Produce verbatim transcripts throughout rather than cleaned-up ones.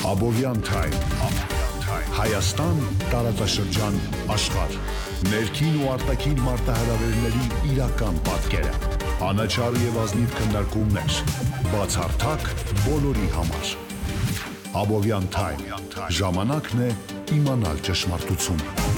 Abovyan Time Հայաստան տարածաշրջան աշխարհ ներքին ու արտաքին մարտահրավերների իրական պատկերը անաչառ եւ ազնիվ քննարկումներ բացառթակ բոլորի համար Abovyan Time ժամանակն է իմանալ ճշմարտությունը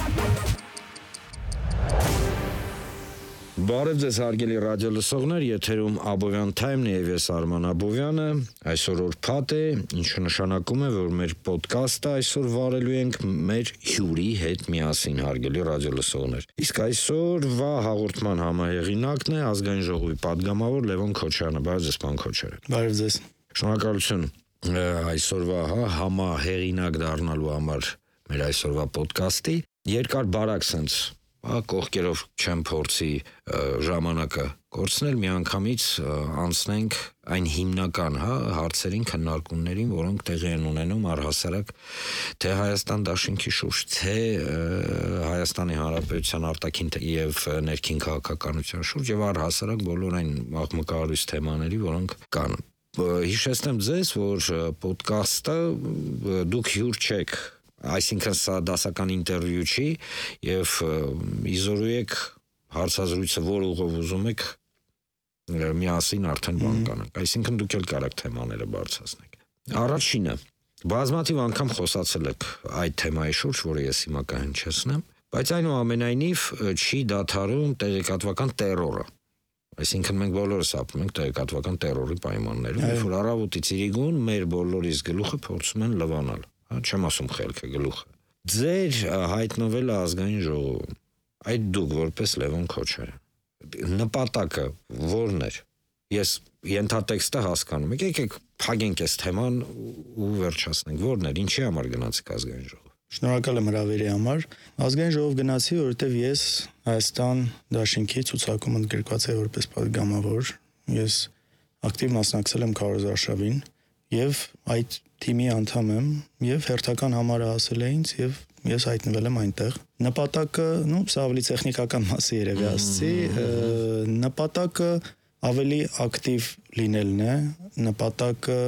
Բարև ձեզ հարգելի ռադիոլսողներ, եթերում Abovyan Time-ն է եւ ես Արման Աբովյանը, այսօր ուրբաթ է, ինչը նշանակում է, որ մեր ոդկասթը այսօր վարելու ենք մեր հյուրի հետ միասին, հարգելի ռադիոլսողներ։ Իսկ այսօրվա հաղորդման համահեղինակն է ազգային ժողովի падգամավոր Լևոն Քոչարյանը, բարև ձեզ, պարոն Քոչարյան։ Բարև ձեզ։ Շնորհակալություն այսօրվա հա, համահեղինակ դառնալու համար մեր այսօրվա ոդկասթի։ Երկար բարակ sense Ա կողքերով չեմ փորձի ժամանակը կորցնել, միանգամից անցնենք այն հիմնական հա, հարցերին, քննարկումներին, որոնք տեղի են ունենում առհասարակ թե Հայաստան դաշինքի շուրջ, թե Հայաստանի Հանրապետության արտաքին եւ ներքին քաղաքականության շուրջ եւ առհասարակ բոլոր այն աղմկահարույց թեմաների, որոնք կան։ Հիշեցնեմ ձեզ, որ ոդկասթը դուք հյուր չեք Այսինքն սա դասական ինտերվյու չի եւ իզորու եք հարցազրույցը որ ուղով ուզում եք միասին արդեն բան կանենք այսինքն դուք էլ կարաք թեմաները բարձրացնեք Առաջինը բազմաթիվ անգամ խոսացել եք այդ թեմայի շուրջ որը ես հիմա կհնչեցնեմ բայց այնուամենայնիվ չի դադարում տեղեկատվական տերորը Այսինքն մենք բոլորս ապրում ենք տեղեկատվական տերորի պայմաններում երբ որ առավոտից իրիկուն մեր բոլորիս գլուխը փորձում են լվանալ Չեմ ասում խելքը գլուխը։ Ձեր հայտնվելը ազգային ժողովում, այդ դուք որպես Լևոն Քոչարյան, նպատակը որն էր։ Ես ենթատեքստը հասկանում եք, եկեք փակենք այս թեման ու վերջացնենք։ Որն էր, ինչի համար գնացիք ազգային ժողով։ Շնորհակալ եմ հրավերի համար։ Ազգային ժողով գնացի, որովհետև ես Հայաստան դաշինքի ցուցակում ընդգրկված եմ որպես падգամավոր։ Ես ակտիվ մասնակցել եմ քարոզարշավին եւ այդ թիմի անդամ եմ եւ հերթական համարը ասել է ինձ եւ ես հայտնվել եմ այնտեղ նպատակը, նո, սա ավելի տեխնիկական մասի երևի ասցի, նպատակը ավելի ակտիվ լինելն է, նպատակը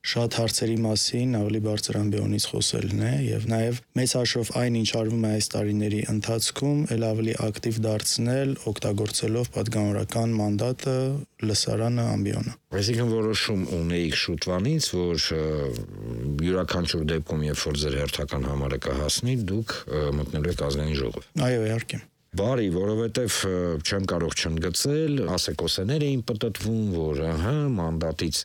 շատ հարցերի մասին ավելի բարձր ամբիոնից խոսելն է եւ նաեւ մեծ հաշվով այն ինչ արվում է այս տարիների ընթացքում, ել ավելի ակտիվ դարձնել, օգտագործելով падգամավորական մանդատը, լսարանը, ամբիոնը։ Այսինքն որոշում ունեիք շուտվանից, որ յուրաքանչյուր դեպքում, երբ որ ձեր հերթական համարը կհասնի, դուք մտնելու եք ազգային ժողով։ Այո, իհարկե։ Բարի, որովհետև չեմ կարող չընդգծել, ասեկոսեներ էին պտտվում, որ ահա մանդատից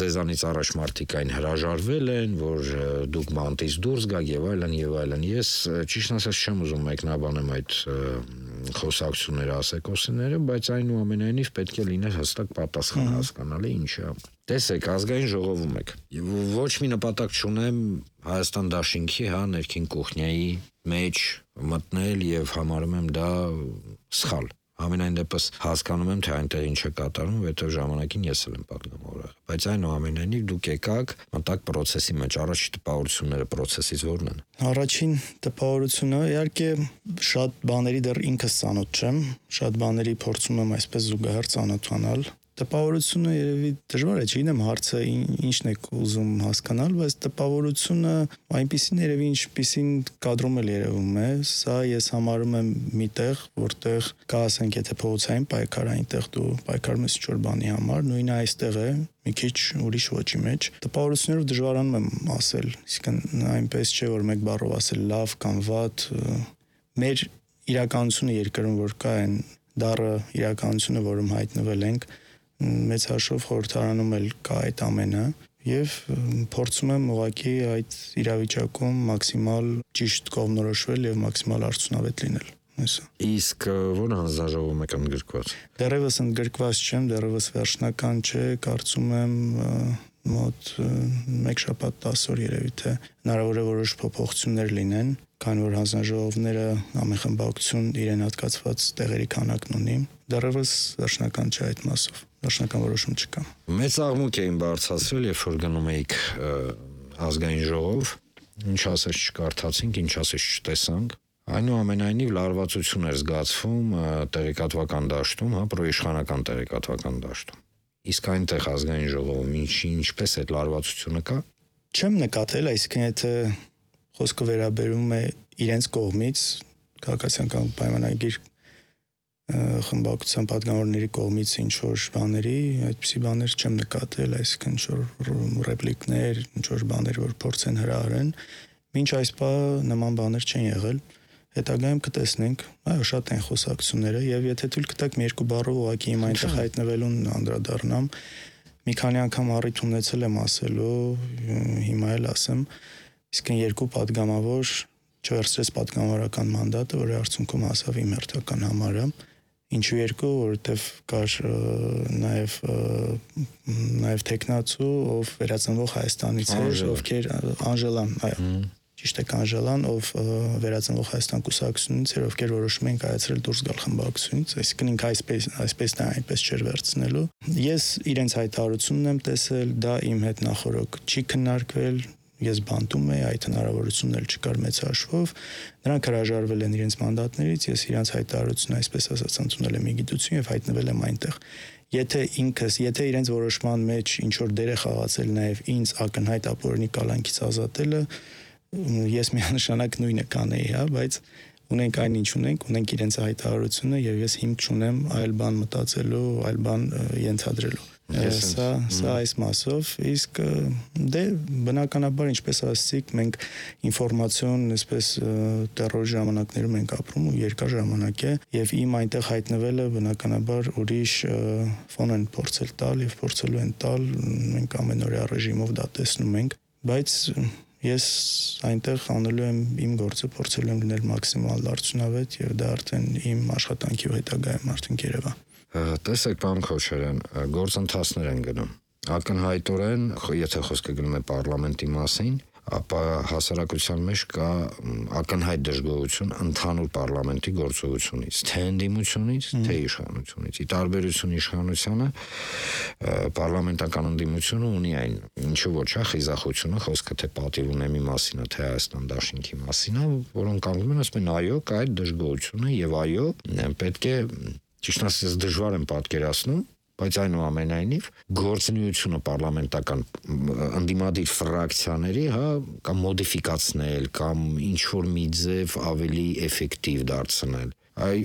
ձեզանից առաջ մարդիկ այն հրաժարվել են, որ դուք մանդատից դուրս գաք եւ այլն եւ այլն։ Ես ճիշտ ասած չեմ ուզում մեկնաբանեմ այդ խոսակցությունները, ասեկոսեները, բայց այնուամենայնիվ պետք է լիներ հստակ պատասխան հասկանալի ինչա։ Տեսեք, ազգային ժողովում եք։ Ոչ մի նպատակ չունեմ Հայաստան դաշինքի, հա, ներքին կուխնյայի մեջ մտնել եւ համարում եմ դա սխալ։ Ամենայն դեպս հասկանում եմ, թե այնտեղ ինչ է կատարվում, որովհետեւ ժամանակին ես էլ եմ падգամավոր եղել։ Բայց այնուամենայնիվ դուք եկաք մտակ process-ի մեջ, առաջի տպավորությունները process-ից որն են։ Առաջին տպավորությունը, իհարկե, շատ բաների դեռ ինքս ծանոթ չեմ, շատ բաների փորձում եմ այսպես զուգահեռ ծանոթանալ։ Տպավորությունը երևի դժվար է, չգիտեմ հարցը ինչն է ուզում հասկանալ, բայց տպավորությունը այնպիսին երևի ինչպիսին կադրում էլ երևում է, սա ես համարում եմ մի տեղ, որտեղ կա ասենք եթե փողոցային պայքար այնտեղ դու պայքարում ես ինչ-որ բանի համար, նույնը այստեղ է, մի քիչ ուրիշ ոճի մեջ։ Տպավորություններով դժվարանում եմ ասել, իսկն այնպես չէ, որ մեկ բառով ասել լավ կամ վատ, մեր իրականությունը երկրում որ կա այն դառը իրականությունը, որում հայտնվել ենք մեծ հաշվով խորհրդարանում էլ կա այդ ամենը եւ փորձում եմ ուղղակի այդ իրավիճակում մաքսիմալ ճիշտ կողմնորոշվել եւ մաքսիմալ արդյունավետ լինել։ Այսա։ Իսկ ո՞ր հանձնաժողովում եք ընդգրկված։ Դեռևս ընդգրկված չեմ, դեռևս վերջնական չէ, կարծում եմ մոտ մեկ շաբաթ տասը օր երևի թե հնարավոր է որոշ փոփոխություններ լինեն, քանի որ հանձնաժողովները ամենախմբակցություն իրեն հատկացված տեղերի քանակն ունի։ Դեռևս վերջնական չէ այդ մասով։ Վերջնական որոշում չկա։ Մեծ աղմուկ էին բարձրացրել, երբ որ գնում էիք ազգային ժողով, ինչ ասես չկարդացինք, ինչ ասես չտեսանք։ Այնուամենայնիվ լարվածություն էր զգացվում տեղեկատվական դաշտում, հա, պրոիշխանական տեղեկատվական դաշտում։ Իսկ այնտեղ ազգային ժողովում ինչ ինչպես այդ լարվածությունը կա։ չեմ նկատել, այսինքն եթե խոսքը վերաբերում է իրենց կողմից, քաղաքացիական պայմանագիր խմբակցության պատգամավորների կողմից ինչ որ բաների, այդպիսի բաներ չեմ նկատել, այսինքն ինչ որ ռեպլիկներ, ինչ որ բաներ, որ փորձեն հրահրեն, մինչ այս բանը նման բաներ չեն եղել, հետագայում կտեսնենք, այո, շատ են խոսակցությունները, եւ եթե թույլ կտակ մի երկու բառով ուղղակի իմ այնտեղ հայտնվելուն անդրադառնամ, մի քանի անգամ առիթ ունեցել եմ ասելու, հիմա էլ ասեմ, իսկ երկու падգամավոր չվերցրեց падգամավորական մանդատը, որի արդյունքում հասավ իմ հերթական համարը, ինչու երկու, որովհետև կար նաև նաև տեխնացու, ով վերածնվող Հայաստանից էր, ովքեր Անժելան, այո, ճիշտ է Անժելան, ով վերածնվող Հայաստան կուսակցությունից էր, ովքեր որոշում են կայացրել դուրս գալ խմբակցությունից, այսինքն ինքը այսպես այսպես դա այնպես չէր վերցնելու։ Ես իրենց հայտարարությունն եմ տեսել, դա իմ հետ նախորոք չի քննարկվել, ես բանտում եի, այդ հնարավորությունն էլ չկար մեծ հաշվով, նրանք հրաժարվել են իրենց մանդատներից, ես իրենց հայտարարությունը այսպես ասած ընդունել եմ իգիտություն եւ հայտնվել եմ այնտեղ։ Եթե ինքս, եթե իրենց որոշման մեջ ինչ որ դեր է խաղացել նաեւ ինձ ակնհայտ ապօրինի կալանքից ազատելը, ես միանշանակ նույնը կանեի, հա, բայց ունենք այն ինչ ունենք, ունենք իրենց հայտարարությունը եւ ես հիմք չունեմ այլ բան մտածելու, այլ բան ենթադրելու։ Սա սա այս մասով, իսկ դե բնականաբար ինչպես ասացիք, մենք ինֆորմացիոն, այսպես տերորի ժամանակներում ենք ապրում ու երկար ժամանակ է եւ իմ այնտեղ հայտնվելը բնականաբար ուրիշ ֆոն են փորձել տալ եւ փորձելու են տալ, մենք ամենօրյա ռեժիմով դա տեսնում ենք, բայց ես այնտեղ անելու եմ իմ գործը, փորձելու եմ լինել մաքսիմալ արդյունավետ եւ դա արդեն իմ աշխատանքի հետագայում արդեն երևա։ Տեսեք, պարոն Քոչարյան, գործընթացներ են գնում։ Ակնհայտորեն, եթե խոսքը գնում է պարլամենտի մասին, ապա հասարակության մեջ կա ակնհայտ դժգոհություն ընդհանուր պարլամենտի գործողությունից, թե ընդդիմությունից, թե իշխանությունից։ Ի տարբերություն իշխանությանը, պարլամենտական ընդդիմությունը ունի այն, ինչու ոչ է խիզախությունը, խոսքը թե պատիվ ունեմի մասին է, թե Հայաստան դաշինքի մասին է, որոնք կանգնում են ասում են այո, կա այդ դժգոհությունը եւ այո, պետք է ճիշտ ասած դժվար եմ պատկերացնում, բայց այնուամենայնիվ գործունեությունը պարլամենտական ընդդիմադիր ֆրակցիաների, հա, կամ մոդիֆիկացնել, կամ ինչ որ մի ձև ավելի էֆեկտիվ դարձնել։ Այ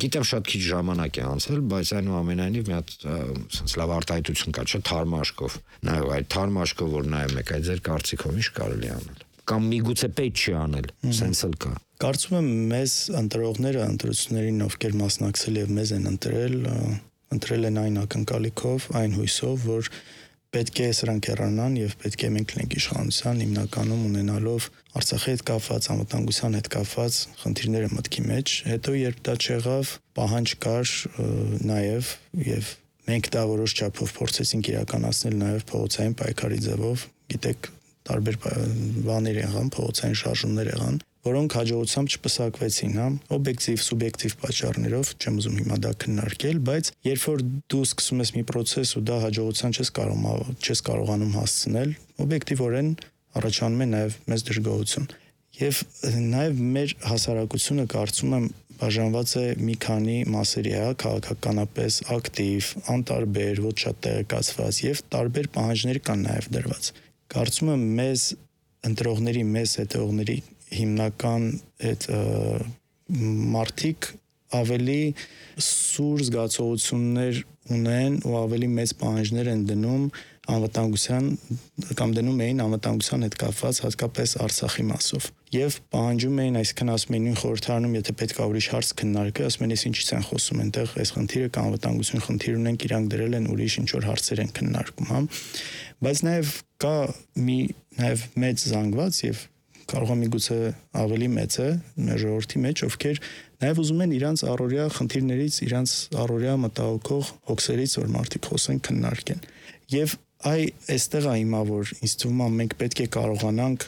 գիտեմ շատ քիչ ժամանակ է անցել, բայց այնուամենայնիվ մի հատ sense լավ արտահայտություն կա, չէ, թարմաշկով։ Նայեք, այդ թարմաշկով որ նայում եք, այդ ձեր կարծիքով ինչ կարելի անել։ Կամ միգուցե պետք չի անել, sense էլ կա։ Կարծում եմ մեզ ընտրողները ընտրություններին ովքեր մասնակցել եւ մեզ են ընտրել, ընտրել են այն ակնկալիքով, այն հույսով, որ պետք է սրանք հեռանան եւ պետք է մենք լինենք իշխանության հիմնականում ունենալով Արցախի հետ կապված, անվտանգության հետ կապված խնդիրները մտքի մեջ, հետո երբ դա չեղավ, պահանջ կար նաեւ եւ մենք դա որոշ չափով փորձեցինք իրականացնել նաեւ փողոցային պայքարի ձևով, գիտեք, տարբեր բաներ եղան, փողոցային շարժումներ եղան, որոնք հաջողությամբ չպսակվեցին, հա, օբյեկտիվ, սուբյեկտիվ պատճառներով, չեմ ուզում հիմա դա քննարկել, բայց երբ որ դու սկսում ես մի process ու դա հաջողության չես կարող չես կարողանում հասցնել, օբյեկտիվորեն առաջանում է նաև մեծ դժգոհություն։ Եվ նաև մեր հասարակությունը կարծում եմ բաժանված է մի քանի մասերի, հա, քաղաքականապես ակտիվ, անտարբեր, ոչ շատ տեղեկացված եւ տարբեր պահանջներ կան նաև դրված։ Կարծում եմ մեզ ընտրողների, մեզ հետևողների հիմնական այդ մարդիկ ավելի սուր զգացողություններ ունեն ու ավելի մեծ պահանջներ են դնում անվտանգության կամ դնում էին անվտանգության հետ կապված հատկապես Արցախի մասով եւ պահանջում էին, այսինքն ասում էին նույն խորհրդարանում, եթե պետք է ուրիշ հարց քննարկել, ասում են, ես ինչից են խոսում, այնտեղ այս խնդիրը կամ անվտանգություն խնդիր ունենք, իրանք դրել են ուրիշ ինչ որ հարցեր են քննարկում, հա։ Բայց նաեւ կա մի նաեւ մեծ զանգված եւ կարող է միգուցե ավելի մեծ է մեր ժողովրդի մեջ, ովքեր նաև ուզում են իրանց առօրյա խնդիրներից, իրանց առօրյա մտահոգող հոգսերից, որ մարդիկ խոսեն, քննարկեն։ Եվ այ այստեղ է հիմա, որ ինձ թվում է մենք պետք է կարողանանք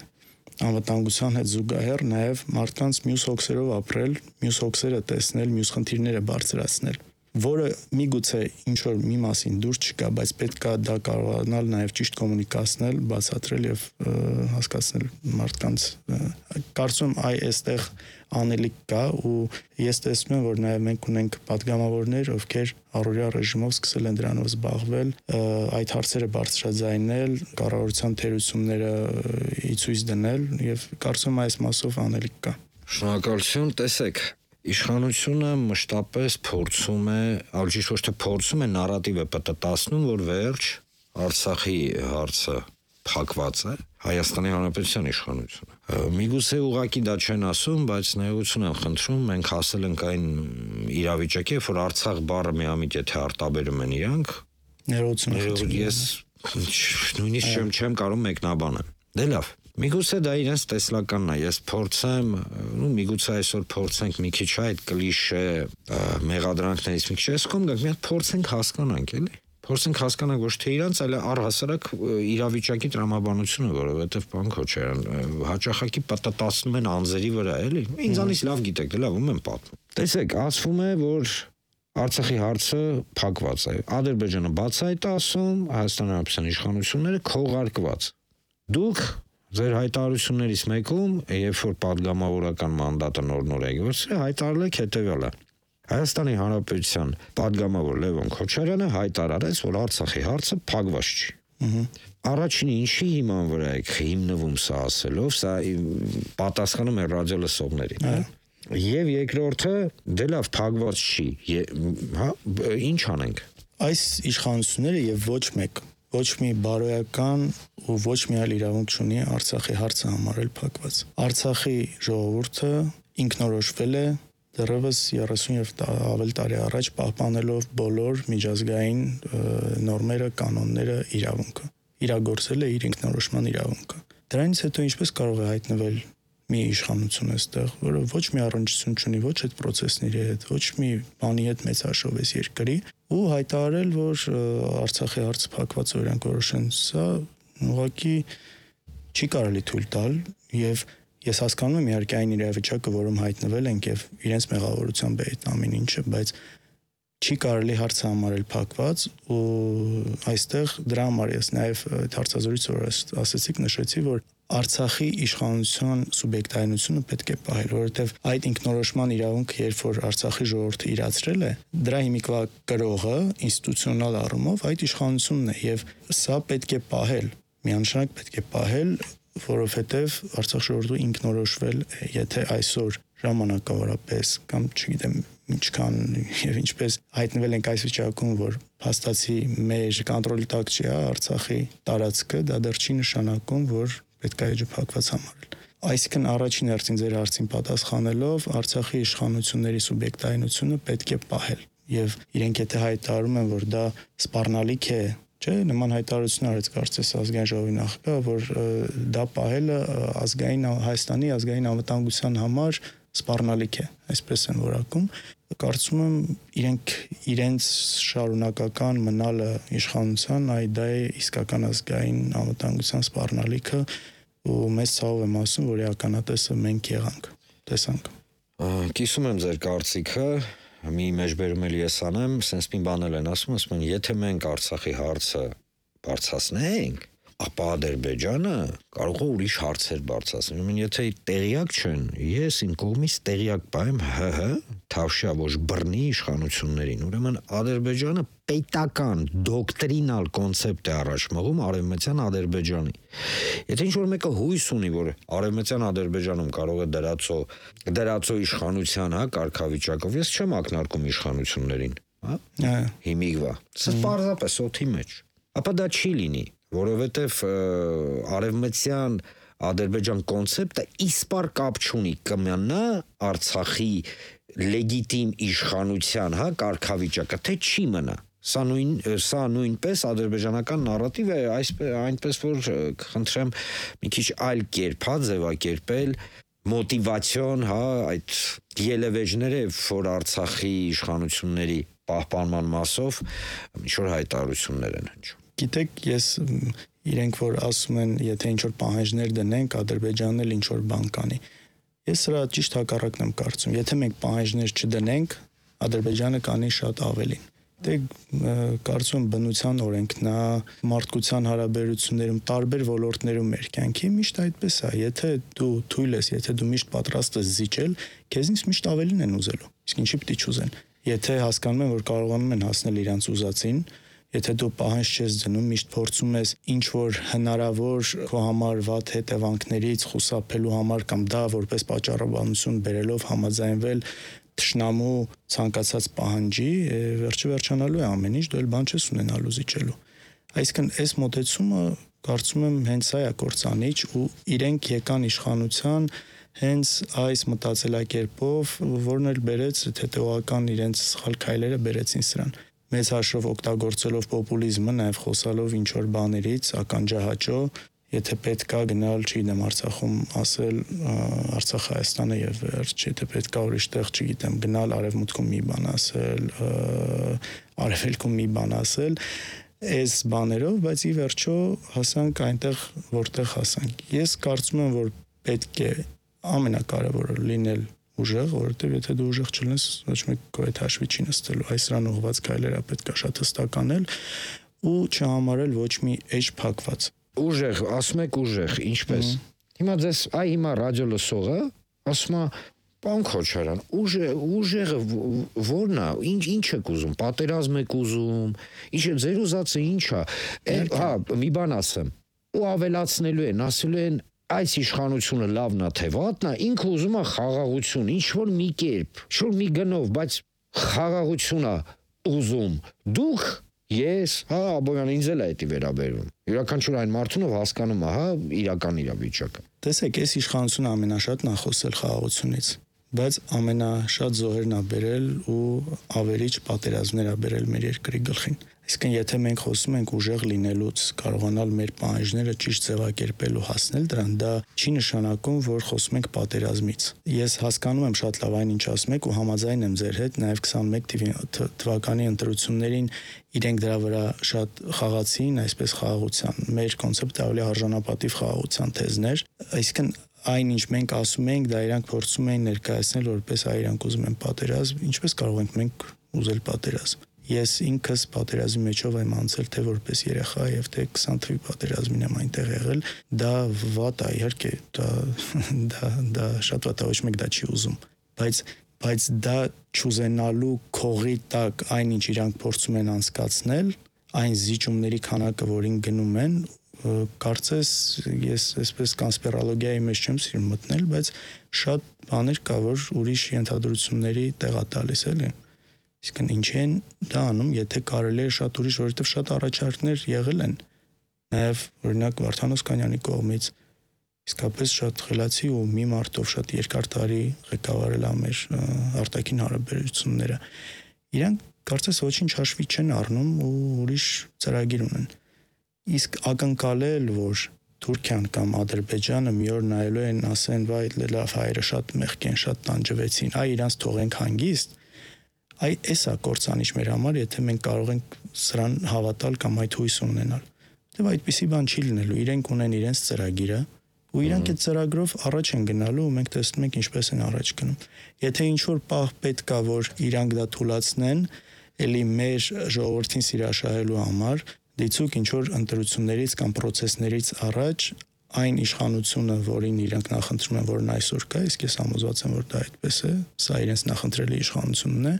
անվտանգության հետ զուգահեռ նաև մարդկանց մյուս հոգսերով ապրել, մյուս հոգսերը տեսնել, մյուս խնդիրները բարձրացնել։ որը միգուցե ինչ որ մի մասին դուրս չկա, բայց պետք է դա կարողանալ նաև ճիշտ կոմունիկացնել, բացատրել եւ հասկացնել մարդկանց։ Կարծում եմ այ այստեղ անելիք կա ու ես տեսնում եմ, որ նաև մենք ունենք падգամավորներ, ովքեր առօրյա ռեժիմով սկսել են դրանով զբաղվել, այդ հարցերը բարձրաձայնել, կառավարության թերությունները ի ցույց դնել եւ կարծում եմ այս մասով անելիք կա։ Շնորհակալություն, տեսեք, իշխանությունը մշտապես փորձում է, ալջիշ ոչ թե փորձում է, նարատիվ է պատտասնում, որ վերջ Արցախի հարցը փակված է, Հայաստանի Հանրապետության իշխանությունը։ Միգուցե ուղղակի դա չեն ասում, բայց ներողություն եմ խնդրում, մենք հասել ենք այն իրավիճակի, որ Արցախ բառը միամիտ եթե արտաբերում են իրանք, ներողություն խնդրում։ Ես նույնիսկ չեմ չեմ կարող մեկնաբանել։ Դե լավ։ Միգուցե դա իրենց տեսլականն է, ես փորձեմ, ու միգուցե այսօր փորձենք մի քիչ այդ կլիշե մեղադրանքներից մի քիչ ես կողմ գանք, մի հատ փորձենք հասկանանք, էլի։ Փորձենք հասկանանք ոչ թե իրանց, այլ առհասարակ իրավիճակի տրամաբանությունը, որովհետև բան Քոչարյան հաճախակի պատտասնում են անձերի վրա, էլի։ Ինձանից լավ գիտեք, դե լավ, ում եմ պատմում։ Տեսեք, ասվում է, որ Արցախի հարցը փակված է։ Ադրբեջանը բաց է այդ ասում, Հայաստանի Հանրապետության իշխանությունները քողարկված։ Դուք ձեր հայտարարություններից մեկում, երբ որ падգամավորական մանդատը նոր-նոր է գործել, հայտարարել եք հետևյալը. Հայաստանի Հանրապետության падգամավոր Լևոն Քոչարյանը հայտարարեց, որ Արցախի հարցը փակված չի։ Առաջինը ինչի հիման վրա եք հիմնվում սա ասելով, սա պատասխանում է ռադիոլսողներին, եւ երկրորդը, դե լավ, փակված չի, հա, ինչ անենք։ Այս իշխանությունները եւ ոչ մեկ, ոչ մի բարոյական ու ոչ մի այլ իրավունք չունի Արցախի հարցը համարել փակված։ Արցախի ժողովուրդը ինքնորոշվել է դեռևս երեսուն եւ ավել տարի առաջ պահպանելով բոլոր միջազգային նորմերը, կանոնները, իրավունքը։ Իրագործել է իր ինքնորոշման իրավունքը։ Դրանից հետո ինչպես կարող է հայտնվել մի իշխանություն այստեղ, որը ոչ մի առնչություն չունի ոչ այդ process-ների հետ, ոչ մի բանի հետ մեծաշով էս երկրի ու հայտարարել, որ Արցախի հարցը փակված է, իրանք որոշեն, սա ուղղակի չի կարելի թույլ տալ եւ ես հասկանում եմ իհարկե այն իրավիճակը, որում հայտնվել ենք եւ իրենց մեղավորությամբ է այդ ամեն ինչը, բայց չի կարելի հարցը համարել փակված ու այստեղ դրա համար ես նաեւ այդ հարցազրույցը որ ասեցիք նշեցի, որ Արցախի իշխանության սուբյեկտայնությունը պետք է պահել, որովհետև այդ ինքնորոշման իրավունքը, երբ որ Արցախի ժողովուրդը իրացրել է, դրա հիմիկվա կրողը ինստիտուցիոնալ առումով այդ իշխանությունն է եւ սա պետք է պահել, միանշանակ պետք է պահել, որովհետև Արցախ ժողովուրդը ինքնորոշվել է, եթե այսօր ժամանակավորապես կամ չգիտեմ ինչքան եւ ինչպես հայտնվել ենք այս վիճակում, որ փաստացի մեր կոնտրոլի տակ չի Արցախի տարածքը, դա դեռ չի նշանակում, որ պետք է էջը փակված համարել։ Այսինքն առաջին հերթին ձեր հարցին պատասխանելով Արցախի իշխանությունների սուբյեկտայնությունը պետք է պահել եւ իրենք եթե հայտարարում են, որ դա սպառնալիք է, չէ, նման հայտարարություն արեց կարծես ազգային ժողովի նախագահը, որ դա պահելը ազգային Հայաստանի ազգային անվտանգության համար սպառնալիք է, այսպես են որակում։ Կարծում եմ իրենք իրենց շարունակական մնալը իշխանության այ դա է իսկական ազգային անվտանգության սպառնալիքը ու մեծ ցավով եմ ասում, որ ականատեսը մենք եղանք, տեսանք։ Կիսում եմ ձեր կարծիքը, մի մեջբերում էլ ես անեմ, sense մի բան էլ են ասում, ասում են, եթե մենք Արցախի հարցը բարձրացնենք, ապա Ադրբեջանը կարող է ուրիշ հարցեր բարձրացնել։ Ուրեմն եթե տեղյակ չեն, ես իմ կողմից տեղյակ պահեմ ՀՀ թավշյա ոչ բռնի իշխանություններին։ Ուրեմն Ադրբեջանը պետական դոկտրինալ կոնցեպտ է առաջ մղում արևմտյան Ադրբեջանի։ Եթե ինչ-որ մեկը հույս ունի, որ արևմտյան Ադրբեջանում կարող է դրածո դրածո իշխանության, հա, կարգավիճակով, ես չեմ ակնարկում իշխանություններին, հա։ Հիմիկվա։ Սա պարզապես օդի մեջ։ Ապա դա չի լինի, որովհետև արևմտյան Ադրբեջան կոնցեպտը իսպար կապ չունի կմնա Արցախի լեգիտիմ իշխանության, հա, կարգավիճակը, թե չի մնա։ Սա նույն սա նույնպես ադրբեջանական նարատիվ է, այսպես այնպես որ խնդրեմ մի քիչ այլ կերպ հա ձևակերպել մոտիվացիոն, հա, այդ ելևեջները, որ Արցախի իշխանությունների պահպանման մասով ինչ-որ հայտարարություններ են հնչում։ Գիտեք, ես իրենք որ ասում են, եթե ինչ-որ պահանջներ դնենք, Ադրբեջանն էլ ինչ-որ բան կանի։ Ես սրա ճիշտ հակառակն եմ կարծում։ Եթե մենք պահանջներ չդնենք, Ադրբեջանը կանի շատ ավելին։ Դե կարծում եմ բնության օրենքն է, մարդկության հարաբերություններում տարբեր ոլորտներում մեր կյանքի միշտ այդպես է, եթե դու թույլ ես, եթե դու միշտ պատրաստ ես զիջել, քեզնից միշտ ավելին են ուզելու։ Իսկ ինչի պիտի չուզեն։ Եթե հասկանում են, որ կարողանում են հասնել իրենց ուզածին, եթե դու պահանջ չես դնում, միշտ փորձում ես ինչ որ հնարավոր քո համար վատ հետևանքներից խուսափելու համար կամ դա որպես պատճառաբանություն բերելով համաձայնվել թշնամու ցանկացած պահանջի, վերջը վերջանալու է ամեն ինչ, դու էլ բան չես ունենալու զիջելու։ Այսինքն այս մոտեցումը կարծում եմ հենց սա է կործանիչ ու իրենք եկան իշխանության հենց այս մտածելակերպով, որն էլ բերեց հետեւական իրենց սխալ քայլերը բերեցին սրան։ Մեծ հաշվով օգտագործելով պոպուլիզմը, նաև խոսալով ինչ որ բաներից, ականջահաճո, եթե պետք է գնալ, չգիտեմ, Արցախում ասել Արցախ Հայաստանը եւ վերջ, եթե պետք է ուրիշ տեղ, չգիտեմ, գնալ արևմուտքում մի բան ասել, արևելքում մի բան ասել, այս բաներով, բայց ի վերջո հասանք այնտեղ, որտեղ հասանք։ Ես կարծում եմ, որ պետք է ամենակարևորը լինել ուժեղ, որովհետև եթե դու ուժեղ չլինես, ոչ մեկ քո հետ հաշվի չի նստելու, այս ռան ուղված քայլերը պետք է շատ հստակ անել ու չհամարել ոչ մի էջ փակված։ Ուժեղ, ասում եք ուժեղ, ինչպես։ Հիմա ձեզ այ հիմա ռադիո լսողը ասում է Պարոն Քոչարյան, ուժը ուժեղը ո՞րն է, ինչ ինչ եք ուզում, պատերազմ եք ուզում, ինչ է ձեր ուզածը ինչ է։ Հա, մի բան ասեմ։ Ու ավելացնելու են, ասելու են այս իշխանությունը լավն է թե վատն է, ինքը ուզում է խաղաղություն, ինչ որ մի կերպ, ինչ որ մի գնով, բայց խաղաղություն է ուզում։ Դուք ես, հա, Աբովյան ինձ էլ է դա վերաբերում։ Յուրաքանչյուր այն մարդուն, ով հասկանում է, հա, իրական իրավիճակը։ Տեսեք, այս իշխանությունը ամենաշատն է խոսել խաղաղությունից, բայց ամենաշատ զոհերն է բերել ու ավերիչ պատերազմներ է բերել մեր երկրի գլխին։ Այսինքն, եթե մենք խոսում ենք ուժեղ լինելուց, կարողանալ մեր պահանջները ճիշտ ձևակերպել ու հասնել դրան, դա չի նշանակում, որ խոսում ենք պատերազմից։ Ես հասկանում եմ շատ լավ այն ինչ ասում եք ու համաձայն եմ ձեր հետ, նաև քսաներկու թվականի ընտրություններին իրենք դրա վրա շատ խաղացին, այսպես խաղաղության։ Մեր կոնցեպտը ավելի արժանապատիվ խաղաղության թեզն էր։ Այսինքն այն ինչ մենք ասում ենք, դա իրանք փորձում էին ներկայացնել որպես այ իրանք ուզում են պատերազմ, ինչպես կարող ենք մենք ուզել պատերազմ։ Ես ինքս պատերազմի մեջով եմ անցել թե որպես երեխա եւ թե քսան թվականի պատերազմին եմ այնտեղ եղել, դա վատ է, իհարկե, դա դա դա շատ վատ է, ոչ մեկ դա չի ուզում, բայց բայց դա չուզենալու քողի տակ այն ինչ իրանք փորձում են անցկացնել, այն զիջումների քանակը, որին գնում են, կարծես ես այսպես կոնսպիրոլոգիայի մեջ չեմ սիրում մտնել, բայց շատ բաներ կա, որ ուրիշ ենթադրությունների տեղ է տալիս էլի։ Իսկն ինչ են դա անում, եթե կարելի է շատ ուրիշ, որովհետև շատ առաջարկներ եղել են, նաև օրինակ Վարդան Օսկանյանի կողմից, իսկապես շատ խելացի ու մի մարդով շատ երկար տարի ղեկավարել ա մեր արտաքին հարաբերությունները։ Իրանք կարծես ոչինչ հաշվի չեն առնում ու ուրիշ ծրագիր ունեն։ Իսկ ակնկալել, որ Թուրքիան կամ Ադրբեջանը մի օր նայելու են, ասեն, վայ, լավ, հայերը շատ մեղք են, շատ տանջվեցին, այ իրանց թողենք հանգիստ, այ էս է կործանիչ մեր համար, եթե մենք կարող ենք սրան հավատալ կամ այդ հույս ունենալ։ Դե այդպիսի բան չի լինելու, իրենք ունեն իրենց ծրագիրը, ու իրանք այդ ծրագրով առաջ են գնալու ու մենք տեսնում ենք ինչպես են առաջ գնում։ Եթե ինչ-որ պահ պետք է, որ իրանք դա թույլատնեն, էլի մեր ժողովրդին սիրաշահելու համար, դիցուկ ինչ-որ ընտրություններից կամ պրոցեսներից առաջ այն իշխանությունը, որին իրենք նախընտրում են, որն այսօր կա, իսկ ես համոզված եմ, որ դա այդպես է, սա իրենց նախընտրելի իշխանությունն է,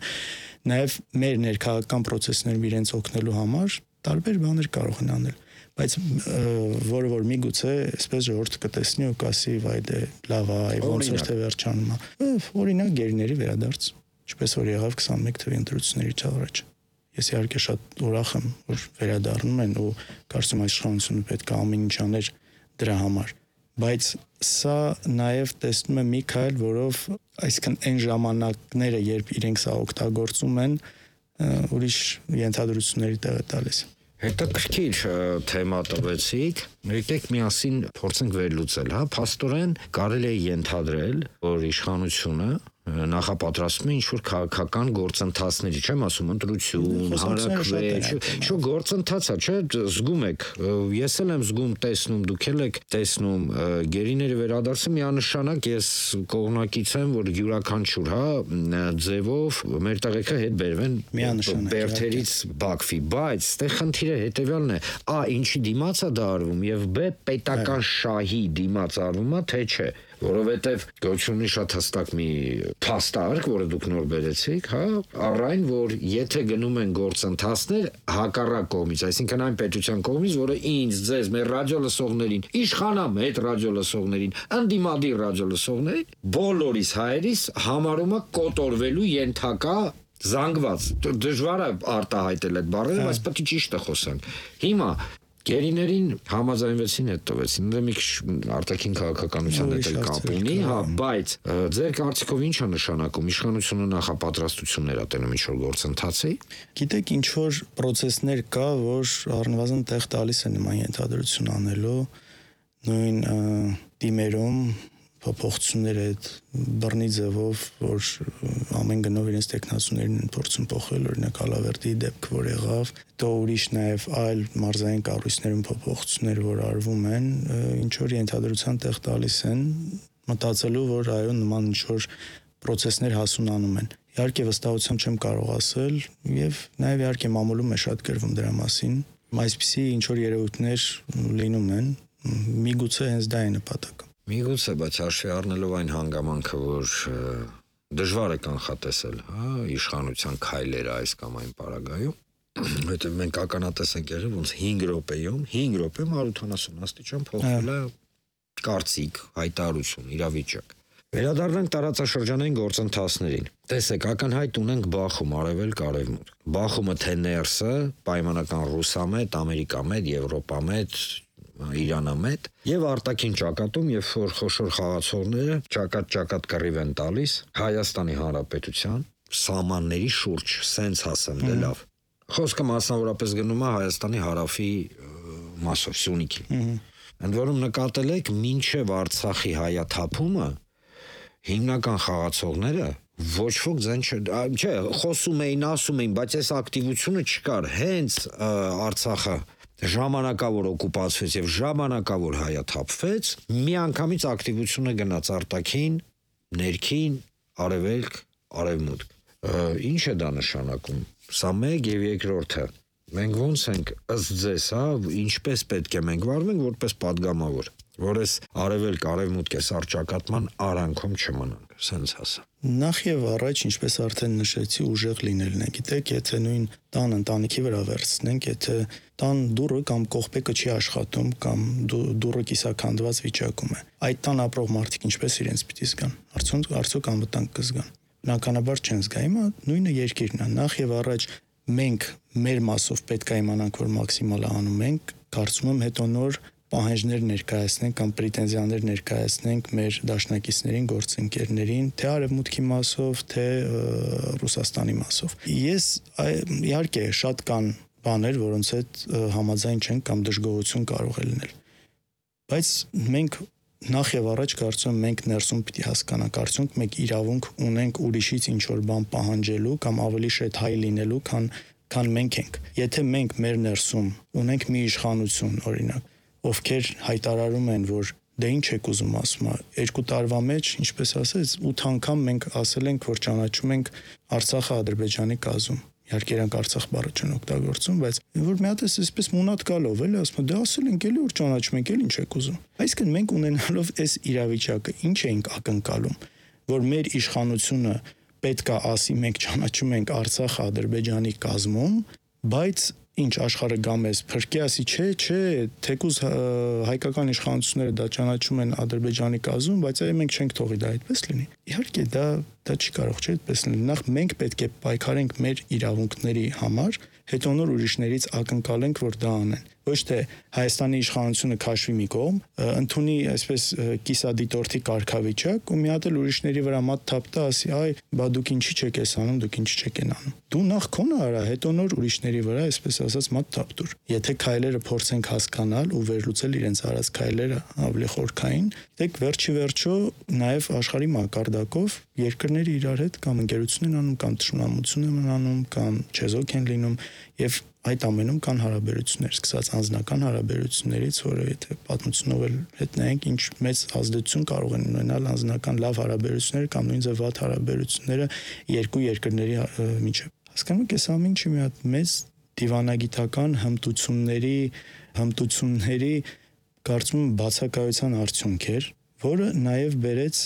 նաև մեր ներքաղաքական պրոցեսներում իրենց օգնելու համար տարբեր բաներ կարող են անել, բայց որը որ միգուցե այսպես ժողովուրդը կտեսնի ու կասի, վայ դե լավ է, ոնց որ թե վերջանում է։ Օրինակ գերիների վերադարձ, ինչպես որ եղավ քսաներկու թվականի ընտրություններից առաջ։ Ես իհարկե շատ ուրախ եմ, որ վերադառնում են ու կարծում եմ իշխանությունը պետք է ամեն ինչ աներ դրա համար, բայց սա նաև տեսնում եմ մի քայլ, որով այսինքն այն ժամանակները, երբ իրենք սա օգտագործում են, ուրիշ ենթադրությունների տեղ է տալիս։ Հետաքրքիր թեմա տվեցիք, եկեք միասին փորձենք վերլուծել, հա, փաստորեն կարելի է ենթադրել, որ իշխանությունը նախապատրաստում է ինչ-որ քաղաքական գործընթացների, չեմ ասում ընտրություն, հանրաքվե, չէ, գործընթաց է, չէ, զգում եք, ես էլ եմ զգում, տեսնում, դուք էլ եք տեսնում, գերիների վերադարձը միանշանակ ես կողմնակից եմ, որ յուրաքանչյուր, հա, ձևով մեր տղեկը հետ բերվեն բերթերից բաքվի, բայց ստեղ խնդիրը հետևյալն է, ա, ինչի դիմաց է դա արվում եւ բ պետական շահի դիմաց արվում է, թե չէ, որովհետեւ գոչունի շատ հստակ մի փաստարկ, որը դուք նոր բերեցիք, հա, առայն որ եթե գնում են գործընթացներ հակառակ կողմից, այսինքն այն պետության կողմից, որը ինձ, ձեզ, մեր ռադիո լսողներին, իշխանամետ ռադիո լսողներին, ընդդիմադիր ռադիո լսողներին, բոլորիս հայերիս համարում է կոտորվելու ենթակա զանգված, դժվար է արտահայտել այդ բառերը, բայց պետք է ճիշտը խոսանք։ Հիմա գերիներին համաձայնվեցին հետ տվեցին, դա մի քիչ արտաքին քաղաքականության հետ էլ կապ ունի, հա, բայց ձեր կարծիքով ինչ է նշանակում իշխանությունը նախապատրաստություններ ա տենում ինչ-որ գործընթացի։ Գիտեք, ինչ որ process-ներ կա, որ առնվազն տեղ տալիս է նման ենթադրություն անելու, նույն դիմերում փոփոխություններ այդ բռնի ձևով, որ ամեն գնով իրենց տեխնացուներին են փորձում փոխել, օրինակ Ալավերդի դեպք, որ եղավ, հետո ուրիշ նաև այլ մարզային կառույցներում փոփոխություններ, որ արվում են, ինչ որ ենթադրության տեղ տալիս են, մտածելու, որ այո, նման ինչ որ process-ներ հասունանում են։ Իհարկե վստահությամբ չեմ կարող ասել, եւ նաև իհարկե մամուլում է շատ գրվում դրա մասին, այսպիսի ինչ որ երևույթներ լինում են, միգուցե հենց դա է նպատակը։ Միգուցե, բայց հաշվի առնելով այն հանգամանքը, որ դժվար է կանխատեսել, հա, իշխանության քայլերը այս կամ այն պարագայում, որովհետև մենք ականատես ենք եղել, ոնց հինգ րոպեում, հինգ րոպեում one hundred seventy աստիճան փոխվել է կարծիք, հայտարարություն, իրավիճակ։ Վերադառնանք տարածաշրջանային գործընթացներին։ Տեսեք, ակնհայտ ունենք Բախում, արևելք, արևմուտք։ Բախումը թե ներսը, պայմանական ռուսամետ, ամերիկամետ, եվրոպամետ, իրանամետ եւ արտաքին ճակատում, երբ որ խոշոր խաղացողները ճակատ-ճակատ կռիվ են տալիս Հայաստանի Հանրապետության սահմանների շուրջ, սենց ասեմ, դե լավ։ Խոսքը մասնավորապես գնում է Հայաստանի հարավի մասով, Սյունիքի։ Ընդ որում նկատել եք, մինչև Արցախի հայաթափումը հիմնական խաղացողները ոչ ոք ձեն չէ, խոսում էին, ասում էին, բայց այս ակտիվությունը չկար, հենց Արցախը ժամանակավոր օկուպացվեց եւ ժամանակավոր հայաթափվեց, միանգամից ակտիվությունը գնաց արտաքին, ներքին, արևելք, արևմուտք։ Ինչ է դա նշանակում։ Սա մեկ եւ երկրորդը։ Մենք ոնց ենք ըստ ձեզ, հա, ինչպես պետք է մենք վարվենք որպես падգամավոր, որ այս արևելք, արևմուտք է սարճակատման արանքում չմնանք, սենց ասա։ Նախ եւ առաջ, ինչպես արդեն նշեցի, ուժեղ լինելն է։ Գիտեք, եթե նույն տան ընտանիքի վրա վերցնենք, եթե տան դուռը կամ կողպեկը չի աշխատում կամ դուռը կիսաքանդված վիճակում է, այդ տան ապրող մարդիկ ինչպես իրենց պիտի զգան։ Արդյոք արդյոք անվտանգ կզգան։ Բնականաբար չեն զգա։ Հիմա նույնը երկիրն է։ Նախ եւ առաջ մենք մեր մասով պետք է իմանանք, որ մաքսիմալը անում ենք, կարծում եմ հետո նոր պահանջներ ներկայացնենք կամ պրետենզիաներ ներկայացնենք մեր դաշնակիցներին, գործընկերներին, թե արևմուտքի մասով, թե Ռուսաստանի մասով։ Ես իհարկե շատ կան բաներ, որոնց հետ համաձայն չենք կամ դժգոհություն կարող է լինել։ Բայց մենք նախ եւ առաջ կարծում եմ մենք ներսում պիտի հասկանանք, արդյոք մենք իրավունք ունենք ուրիշից ինչ որ բան պահանջելու կամ ավելի շետ հայ լինելու, քան քան մենք ենք։ Եթե մենք մեր ներսում ունենք մի իշխանություն, օրինակ, ովքեր հայտարարում են, որ դե ինչ եք ուզում ասում, երկու տարվա մեջ, ինչպես ասեց, ութ անգամ մենք ասել ենք, որ ճանաչում ենք Արցախը Ադրբեջանի կազմում։ Իհարկե իրանք Արցախ բառը չեն օգտագործում, բայց որ մի հատ էսպես մունատ գալով էլի ասում, դե ասել ենք էլի որ ճանաչում ենք, էլ ինչ եք ուզում։ Այսինքն մենք ունենալով այս իրավիճակը ինչ ենք ակնկալում, որ մեր իշխանությունը պետք է ասի մենք ճանաչում ենք Արցախը Ադրբեջանի կազմում, բայց ինչ աշխարհը գա մեզ փրկի ասի չէ, չէ, թեկուզ հայկական իշխանությունները դա ճանաչում են Ադրբեջանի կազմում, բայց այ մենք չենք թողի դա այդպես լինի։ Իհարկե դա դա չի կարող չէ այդպես լինի։ Նախ մենք պետք է պայքարենք մեր իրավունքների համար, հետո նոր ուրիշներից ակնկալենք, որ դա անեն։ ոչ թե Հայաստանի իշխանությունը քաշվի մի կողմ, ընդունի այսպես կիսադիտորդի կարգավիճակ ու մի հատ էլ ուրիշների վրա մատ թափտա, ասի, այ, բա դուք ինչի չեք էս անում, դուք ինչի չեք են անում։ Դու նախ քոնը արա, հետո նոր ուրիշների վրա, այսպես ասած, մատ թափտուր։ Եթե քայլերը փորձենք հասկանալ ու վերլուծել իրենց արած քայլերը ավելի խորքային, դեք վերջի վերջո նաև աշխարհի մակարդակով երկրները իրար հետ կամ ընկերություն են անում, կամ ճշմարտություն են անում, կամ չեզոք են լինում եւ այդ ամենում կան հարաբերություններ, սկսած անձնական հարաբերություններից, որը եթե պատմությունով էլ հետ նայենք, ինչ մեծ ազդեցություն կարող են ունենալ անձնական լավ հարաբերությունները կամ նույնիսկ վատ հարաբերությունները երկու երկրների միջև։ Հասկանում եք, այս ամեն ինչը մի հատ մեծ դիվանագիտական հմտությունների, հմտությունների կարծում եմ բացակայության արդյունք էր, որը նաև բերեց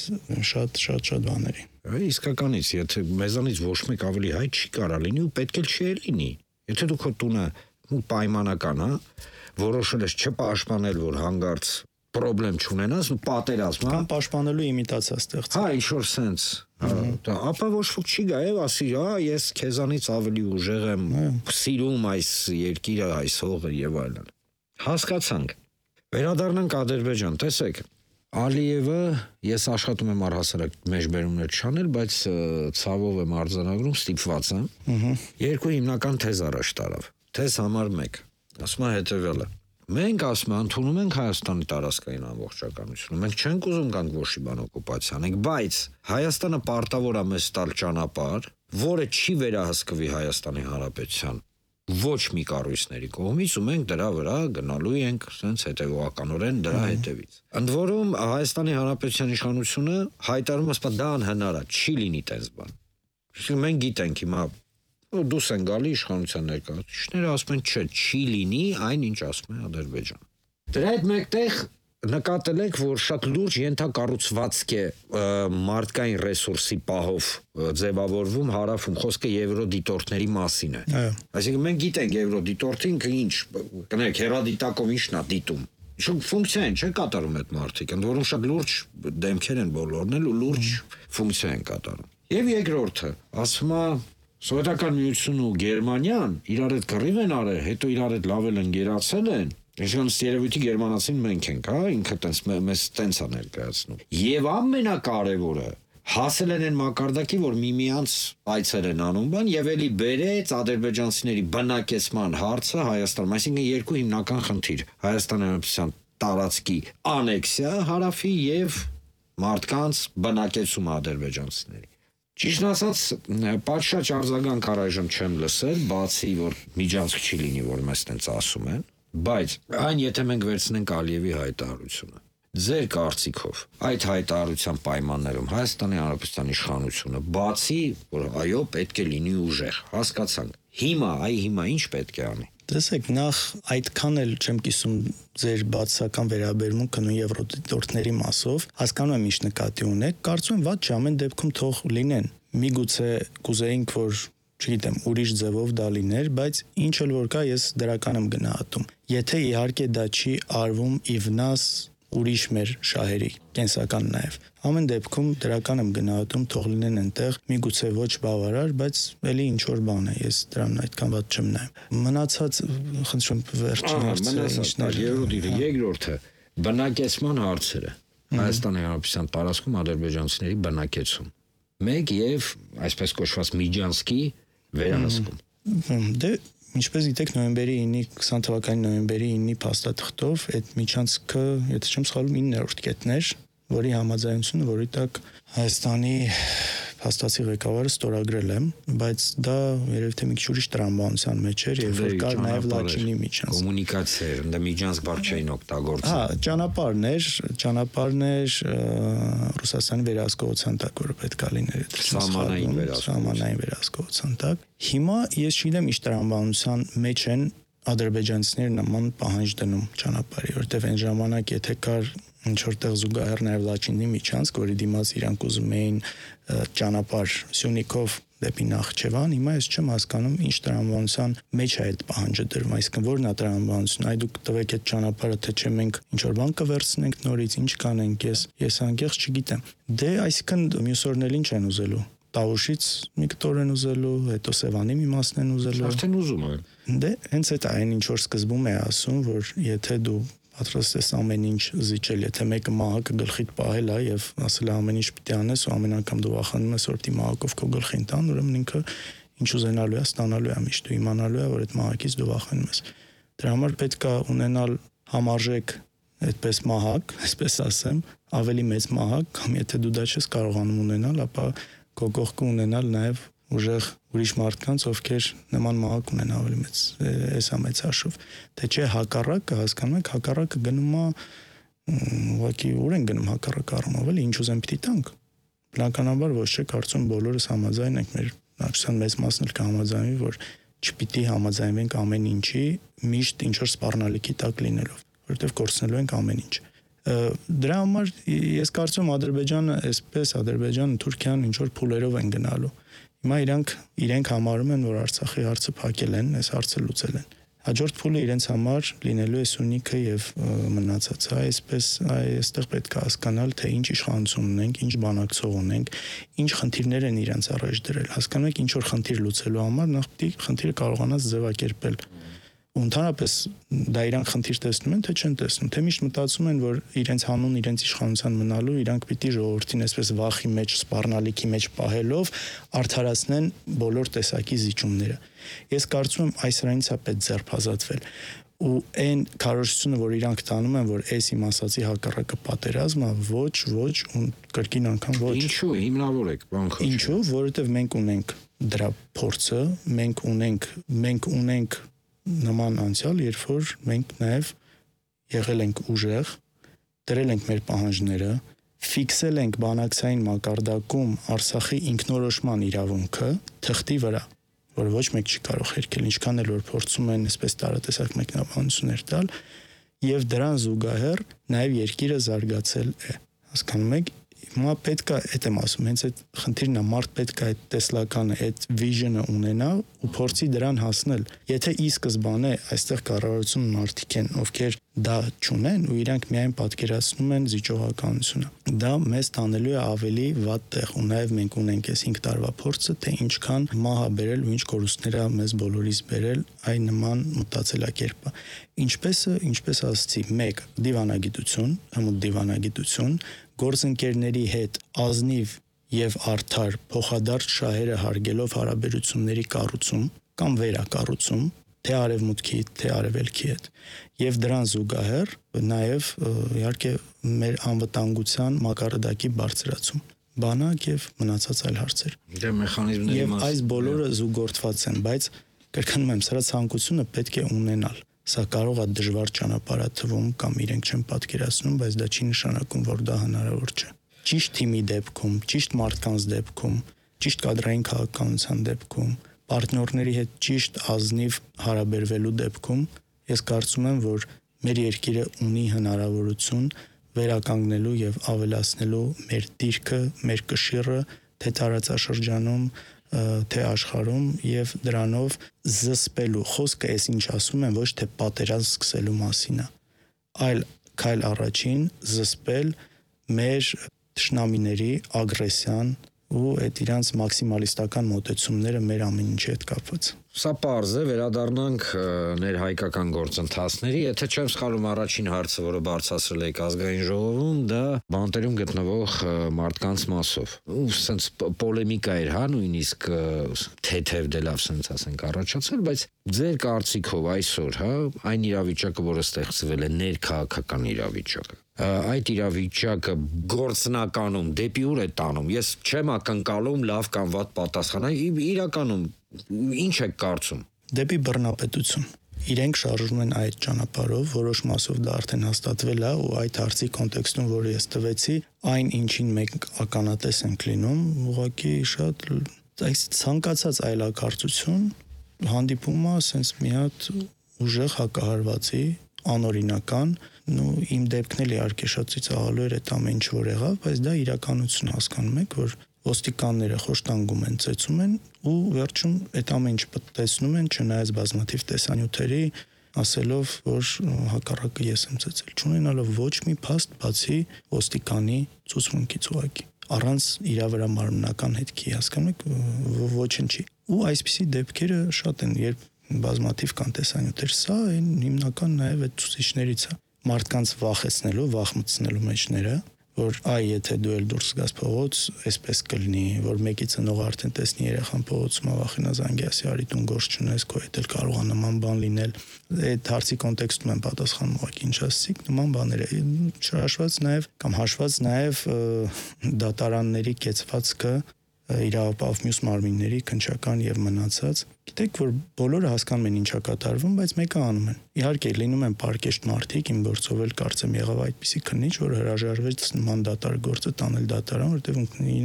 շատ շատ շատ բաների։ Իսկականից, եթե մեզանից ոչ մեկ ավելի հայ չի կարա լինի ու պետք էլ չի լինի։ Եթե դու քո տունը պայմանական, հա, որոշել ես չպաշտպանել, որ հանգարց պրոբլեմ չունենաս, ու պատերազմ, հա, կամ պաշտպանելու իմիտացիա ստեղծել։ Հա, ինչ-որ sense, դա ապա ոչ ոք չի գա եւ ասի, հա, ես քեզանից ավելի ուժեղ եմ, սիրում այս երկիրը, այս հողը եւ այլն։ Հասկացանք։ Վերադառնանք Ադրբեջան, տեսեք, Ալիևը, ես աշխատում եմ առհասարակ մեջբերումներ չանել, բայց ցավով եմ արձանագրում, ստիպված եմ։ Երկու հիմնական թեզ առաջ տարավ։ Թեզ համար մեկ, ասում է հետևյալը. մենք ասում ենք, ընդունում ենք Հայաստանի տարածքային ամբողջականությունը, մենք չենք ուզում գանք ոչի բան օկուպացիա անենք, բայց Հայաստանը պարտավոր է մեզ տալ ճանապարհ, որը չի վերահսկվի Հայաստանի Հանրապետության ոչ մի կառույցների կողմից ու մենք դրա վրա գնալու ենք sense հետևողականորեն դրա հետևից։ Ընդ որում Հայաստանի Հանրապետության իշխանությունը հայտարարում է, սա դա անհնար է, չի լինի տես բան։ Իսկ մենք գիտենք հիմա դուս են գալի իշխանության ներկայացուցիչները ասում են չէ, չի լինի այն ինչ ասում է Ադրբեջան։ Դրա հետ մեկտեղ նկատել եք, որ շատ լուրջ ենթակառուցվածք է մարդկային ռեսուրսի պահով ձևավորվում հարավում, խոսքը եվրոդիտորդների մասին է։ Այսինքն մենք գիտենք եվրոդիտորդին ինչ, կներեք, հերադիտակով ինչն է դիտում։ Ինչ ֆունկցիա են, չէ՞ կատարում այդ մարդիկ, ընդ որում շատ լուրջ դեմքեր են բոլորն էլ ու լուրջ ֆունկցիա են կատարում։ Եվ երկրորդը, ասում է Սովետական միությունն ու Գերմանիան իրար հետ կռիվ են արել, հետո իրար հետ լավ էլ ընկերացել են։ Այսինքն երևույթի գերմանացին մենք ենք, հա, ինքը տենց մեզ տենց է ներկայացնում։ Եվ ամենակարևորը հասել են այն մակարդակի, որ միմյանց այցեր են անում բան եւ էլի բերեց ադրբեջանցիների բնակեցման հարցը Հայաստանում, այսինքն երկու հիմնական խնդիր՝ Հայաստանի Հանրապետության տարածքի անեքսիա հարավի եւ մարդկանց բնակեցումը ադրբեջանցիների։ Ճիշտ ասած, պատշաճ արձագանք առայժմ չեմ լսել, բացի որ միջանցք չի լինի, որ մեզ տենց ասում են, բայց այն եթե մենք վերցնենք Ալիևի հայտարարությունը, ձեր կարծիքով այդ հայտարարության պայմաններում Հայաստանի Հանրապետության իշխանությունը, բացի որ այո, պետք է լինի ուժեղ, հասկացանք, հիմա, այ հիմա ինչ պետք է անի։ Տեսեք, նախ այդքան էլ չեմ կիսում ձեր բացական վերաբերմունքը նույն եվրոդիտորդների մասով, հասկանում եմ ինչ նկատի ունեք, կարծում եմ վատ չէ, ամեն դեպքում թող լինեն։ Միգուցե կուզեինք, որ, չգիտեմ, ուրիշ ձևով դա լիներ, բայց ինչ էլ որ կա, ես դրական եմ գնահատում։ Եթե իհարկե դա չի արվում ի վնաս ուրիշ մեր շահերի, կենսական նաև։ Ամեն դեպքում դրական եմ գնահատում, թող լինեն այնտեղ, միգուցե ոչ բավարար, բայց էլի ինչ որ բան է, ես դրան այդքան ված չեմ նայում։ Մնացած, խնդրում վերջին հարցը ինչն է։ Երրորդը, երկրորդը, բնակեցման հարցերը։ Հայաստանի Հանրապետության տարածքում ադրբեջանցիների բնակեցում։ Մեկ եւ այսպես կոչված Միջանցքի վերահսկում։ Դե ինչպես գիտեք, նոյեմբերի ինը քսան թվականի նոյեմբերի ինը փաստաթղթով այդ միջանցքը, եթե չեմ սխալվում, իններորդ կետն էր, որի համաձայնությունը, որի տակ Հայաստանի փաստացի ղեկավարը ստորագրել եմ, բայց դա երևի թե մի քիչ ուրիշ տրամաբանության մեջ էր, եւ որ կար նաեւ Լաչինի միջանց։ Կոմունիկացիա էր, ընդ Միջանցք բառ չէին օգտագործում։ Հա, ճանապարհն էր, ճանապարհն էր Ռուսաստանի վերահսկողության տակ, որը պետք է լիներ այդ սահմանային սահմանային վերահսկողության տակ։ Հիմա ես չգիտեմ ինչ տրամաբանության մեջ են ադրբեջանցիները նման պահանջ դնում ճանապարհի, որտեղ այն ժամանակ եթե կար ինչ որտեղ զուգահեռ նաև Լաչինի միջանցք, որի դիմաց իրանք ուզում էին ճանապարհ Սյունիքով դեպի Նախճեվան, հիմա ես չեմ հասկանում ինչ տրամաբանության մեջ է այդ պահանջը դրվում, այսինքն որն է տրամաբանությունը, այ դուք տվեք այդ ճանապարհը, թե չէ մենք ինչ որ բան կվերցնենք նորից, ինչ կանենք, ես ես անկեղծ չգիտեմ։ Դե այսինքն մյուս օրն էլ ինչ են ուզելու տավուշից մի կտոր են ուզելու, հետո Սևանի մի մասն են ուզելու։ Արդեն ուզում են։ Դե հենց այդ այն ինչ որ սկզբում է ասում, որ եթե դու պատրաստ ես ամեն ինչ զիջել, եթե մեկը մահակը գլխիդ պահել է եւ ասել է ամեն ինչ պիտի անես ու ամեն անգամ դու վախենում ես որ դի մահակով քո գլխին տան, ուրեմն ինքը ինչ ուզենալու է, ստանալու է միշտ, դու իմանալու է որ այդ մահակից դու վախենում ես։ Դրա համար պետք է ունենալ համարժեք այդպես մահակ, այսպես ասեմ, ավելի մեծ մահակ, կամ եթե դու դա չես կարողանում ունենալ, ապա քո կողքը ունենալ նաև ուժեղ ուրիշ մարդկանց, ովքեր նման մահակ ունեն ավելի մեծ, էսա մեծ հաշվով։ Թե չէ հակառակը, հասկանում եք, հակառակը գնում է ուղղակի ուր են գնում հակառակ առումով, էլի ինչ ուզեն պիտի տանք։ Բնականաբար ոչ չէ, կարծում բոլորս համաձայն ենք, մեր բնակչության մեծ մասն էլ կհամաձայնվի, որ չպիտի համաձայնվենք ամեն ինչի միշտ ինչ որ սպառնալիքի տակ լինելով, որովհետև կորցնելու ենք ամեն ինչ։ Դրա համար ես կարծում եմ Ադրբեջանը, այսպես Ադրբեջանը, Թուրքիան ինչ որ փուլերով են գնալու։ Հիմա իրանք իրենք համարում են, որ Արցախի հարցը փակել են, այս հարցը լուծել են։ Հաջորդ փուլը իրենց համար լինելու է Սյունիքը եւ մնացածը, այսպես այստեղ պետք է հասկանալ, թե ինչ իշխանություն ունենք, ինչ բանակցող ունենք, ինչ խնդիրներ են իրենց առաջ դրել։ Հասկանում եք, ինչ որ խնդիր լուծելու համար նախ պետք է խնդիրը կարողանաս ձևակերպել։ Ու ընդհանրապես դա իրանք խնդիր տեսնում են, թե չեն տեսնում, թե միշտ մտածում են, որ իրենց հանուն իրենց իշխանության մնալու իրանք պիտի ժողովրդին այսպես վախի մեջ, սպառնալիքի մեջ պահելով արդարացնեն բոլոր տեսակի զիջումները։ Ես կարծում եմ այս հրանից է պետք ձերբազատվել։ Ու այն քարոզությունը, որ իրանք տանում են, որ այս իմ ասացի հակառակը պատերազմ է, ոչ, ոչ, ու կրկին անգամ ոչ։ Ինչու հիմնավորեք, բան խոչ։ Ինչու, որովհետև մենք ունենք դրա փորձը, մենք ունենք, մենք ունենք նման անցյալ, երբ որ մենք նաև եղել ենք ուժեղ, դրել ենք մեր պահանջները, ֆիքսել ենք բանակցային մակարդակում Արցախի ինքնորոշման իրավունքը թղթի վրա, որ ոչ մեկ չի կարող հերքել, ինչքան էլ որ փորձում են այսպես տարատեսակ մեկնաբանություններ տալ, եւ դրան զուգահեռ նաև երկիրը զարգացել է։ Հասկանում եք, հիմա պետք է, այդ եմ ասում, հենց այդ խնդիրն է, մարդ պետք է այդ տեսլականը, այդ վիժնը ունենա ու փորձի դրան հասնել։ Եթե ի սկզբանե այստեղ կառավարություն մարդիկ են, ովքեր դա չունեն ու իրանք միայն պատկերացնում են զիջողականությունը, դա մեզ տանելու է ավելի վատ տեղ ու նաև մենք ունենք այս հինգ տարվա փորձը, թե ինչքան մահ է բերել ու ինչ կորուստներ է մեզ բոլորիս բերել այ նման մտածելակերպը։ Ինչպես է, ինչպես ասացի, մեկ դիվանագիտություն, հմուտ դիվանագիտություն, գործընկերների հետ ազնիվ եւ արդար փոխադարձ շահերը հարգելով հարաբերությունների կառուցում կամ վերակառուցում, թե արևմուտքի, թե արևելքի հետ, եւ դրան զուգահեռ նաեւ իհարկե մեր անվտանգության մակարդակի բարձրացում, բանակ եւ մնացած այլ հարցեր։ Դե մեխանիզմների եւ այս բոլորը զուգորդված են, բայց կրկնում եմ, սրա ցանկությունը պետք է ունենալ։ Սա կարող է դժվար ճանապարհ թվում կամ իրենք չեն պատկերացնում, բայց դա չի նշանակում, որ դա հնարավոր չէ։ Ճիշտ թիմի դեպքում, ճիշտ մարդկանց դեպքում, ճիշտ կադրային քաղաքականության դեպքում, պարտներների հետ ճիշտ ազնիվ հարաբերվելու դեպքում, ես կարծում եմ, որ մեր երկիրը ունի հնարավորություն վերականգնելու եւ ավելացնելու մեր դիրքը, մեր կշիռը, թե տարածաշրջանում, թե աշխարհում եւ դրանով զսպելու խոսքը այս ինչ ասում են ոչ թե պատերազմ սկսելու մասին է, այլ քայլ առաջին զսպել մեր թշնամիների ագրեսիան ու այդ իրանց մաքսիմալիստական մոտեցումները մեր ամեն ինչի հետ կապված։ Սա պարզ է, վերադառնանք ներհայկական գործընթացների, եթե չեմ սխալվում առաջին հարցը, որը բարձրացրել եք ազգային ժողովում, դա բանտերում գտնվող մարդկանց մասով։ Ու սենց պոլեմիկա էր, հա, նույնիսկ թեթև դե լավ սենց ասենք առաջացել, բայց ձեր կարծիքով այսօր, հա, այն իրավիճակը, որը ստեղծվել է, ներքաղաքական իրավիճակը, այդ իրավիճակը գործնականում դեպի ուր է տանում։ Ես չեմ ակնկալում լավ կամ վատ պատասխան, իրականում ինչ եք կարծում։ Դեպի բռնապետություն։ Իրենք շարժվում են այդ ճանապարհով, որոշ մասով դա արդեն հաստատվել է ու այդ հարցի կոնտեքստում, որը ես տվեցի, այն ինչին մենք ականատես ենք լինում, ուղղակի շատ այս ցանկացած այլակարծություն հանդիպում է sense մի հատ ուժեղ հակահարվածի, անօրինական, ու իմ դեպքն էլ իհարկե շատ ծիծաղալու էր այդ ամեն ինչ որ եղավ, բայց դա իրականություն հասկանում եք, որ ոստիկանները խոշտանգում են, ծեծում են ու վերջում այդ ամեն ինչ տեսնում են, չնայած բազմաթիվ տեսանյութերի, ասելով, որ հակառակը ես եմ ծեծել, չունենալով ոչ մի փաստ բացի ոստիկանի ցուցմունքից ուղակի։ առանց իր վրա մարմնական հետքի, հասկանում եք, ոչնչի։ Ու այսպիսի դեպքերը շատ են, երբ բազմաթիվ կան տեսանյութեր, սա այն հիմնական նաև այդ ցուցիչներից է, մարդկանց վախեցնելու, վախմցնելու մեջները, որ այ եթե դու էլ դուրս գաս փողոց, այսպես կլինի, որ մեկի ծնողը արդեն տեսնի երեխան փողոցում վախենա զանգի ասի արի տուն գործ չունես, քո հետ էլ կարող է նման բան լինել։ Այդ հարցի կոնտեքստում են պատասխանում ուղղակի ինչ ասցիք, նման բաներ է։ Չհաշված նաև կամ հաշված նաև դատարանների կեցվածքը իրավապահ մյուս մարմինների քննչական եւ մնացած։ Գիտեք, որ բոլորը հասկանում են ինչա կատարվում, բայց մեկը անում են։ Իհարկե, լինում են պարկեշտ մարդիկ, իմ գործով էլ կարծեմ եղավ այդպիսի քննիչ, որ հրաժարվեց նման դատար գործը տանել դատարան, որտեղ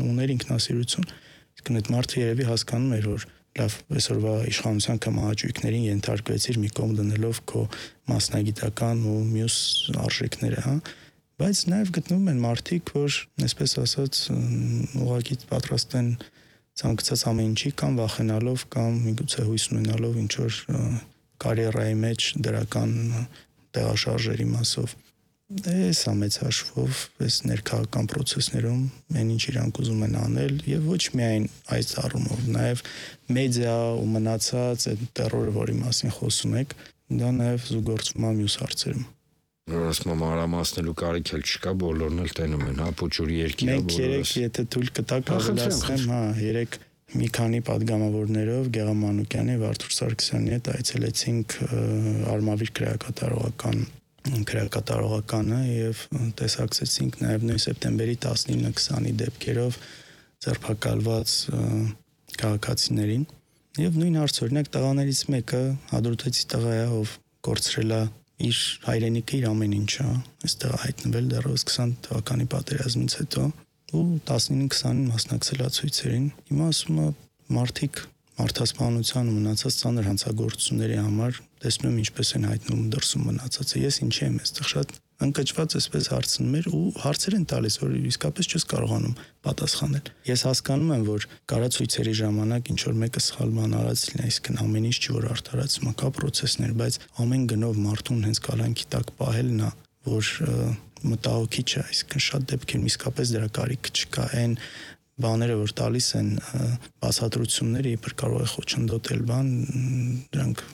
ուներ ինքնասիրություն։ Իսկ այդ մարդը երևի հասկանում էր, որ լավ, այսօրվա իշխանության կամ ահաճույքներին ենթարկվեցիր մի կողմ դնելով քո մասնագիտական ու մյուս արժեքները, հա։ Բայց նաև գտնվում են մարդիկ, որ, այսպես ասած, ուղղակի պատրաստ են ցանկացած ամեն ինչի կամ վախենալով կամ միգուցե հույս ունենալով ինչ որ կարիերայի մեջ դրական տեղաշարժերի մասով։ Այս ամեծ հաշվով, այս ներքաղաքական process-ներում այն ինչ իրանք ուզում են անել եւ ոչ միայն այս առումով, նաև մեդիա ու մնացած այդ տերորը, որի մասին խոսում եք, դա նաև զուգորդվում է մյուս հարցերում։ Ասում մանրամասնելու կարիք էլ չկա, բոլորն էլ տենում են, հա, փոչուրի երկիրը բոլորը։ Մենք երեք, եթե թույլ կտաք, ավելացնեմ, հա, երեք մի քանի падգամավորներով Գեղամ Մանուկյանի, Վարդուր Սարգսյանի հետ այցելեցինք Արմավիր քրեակատարողական քրեակատարողականը եւ տեսակցեցինք նաեւ նույն սեպտեմբերի տասնինը քսանի դեպքերով ձերբակալված քաղաքացիներին եւ նույն հարց օրինակ տղաներից մեկը հադրութեցի տղա է, ով կորցրել է իր հայրենիքը, իր ամեն ինչը, այստեղ հայտնվել դեռևս քսան թվականի պատերազմից հետո ու տասնինը քսանին մասնակցել է ցույցերին։ Հիմա ասում է մարդիկ մարդասպանության ու մնացած ծանր հանցագործությունների համար տեսնում եմ ինչպես են հայտնվում դրսում մնացածը։ Ես ինչի եմ այստեղ շատ ընկճված այսպես հարցնում էր ու հարցեր են տալիս, որ իսկապես չես կարողանում պատասխանել։ Ես հասկանում եմ, որ կարա ցույցերի ժամանակ ինչ որ մեկը սխալ բան արած լինի, այսինքն ամեն ինչ չի որ արդարացում, կա process-ներ, բայց ամեն գնով մարդուն հենց կալանքի տակ պահելն է, որ մտահոգիչ է, այսինքն շատ դեպքերում իսկապես դրա կարիքը չկա։ Այն բաները, որ տալիս են բացատրությունները, իբր կարող է խոչընդոտել բան, դրանք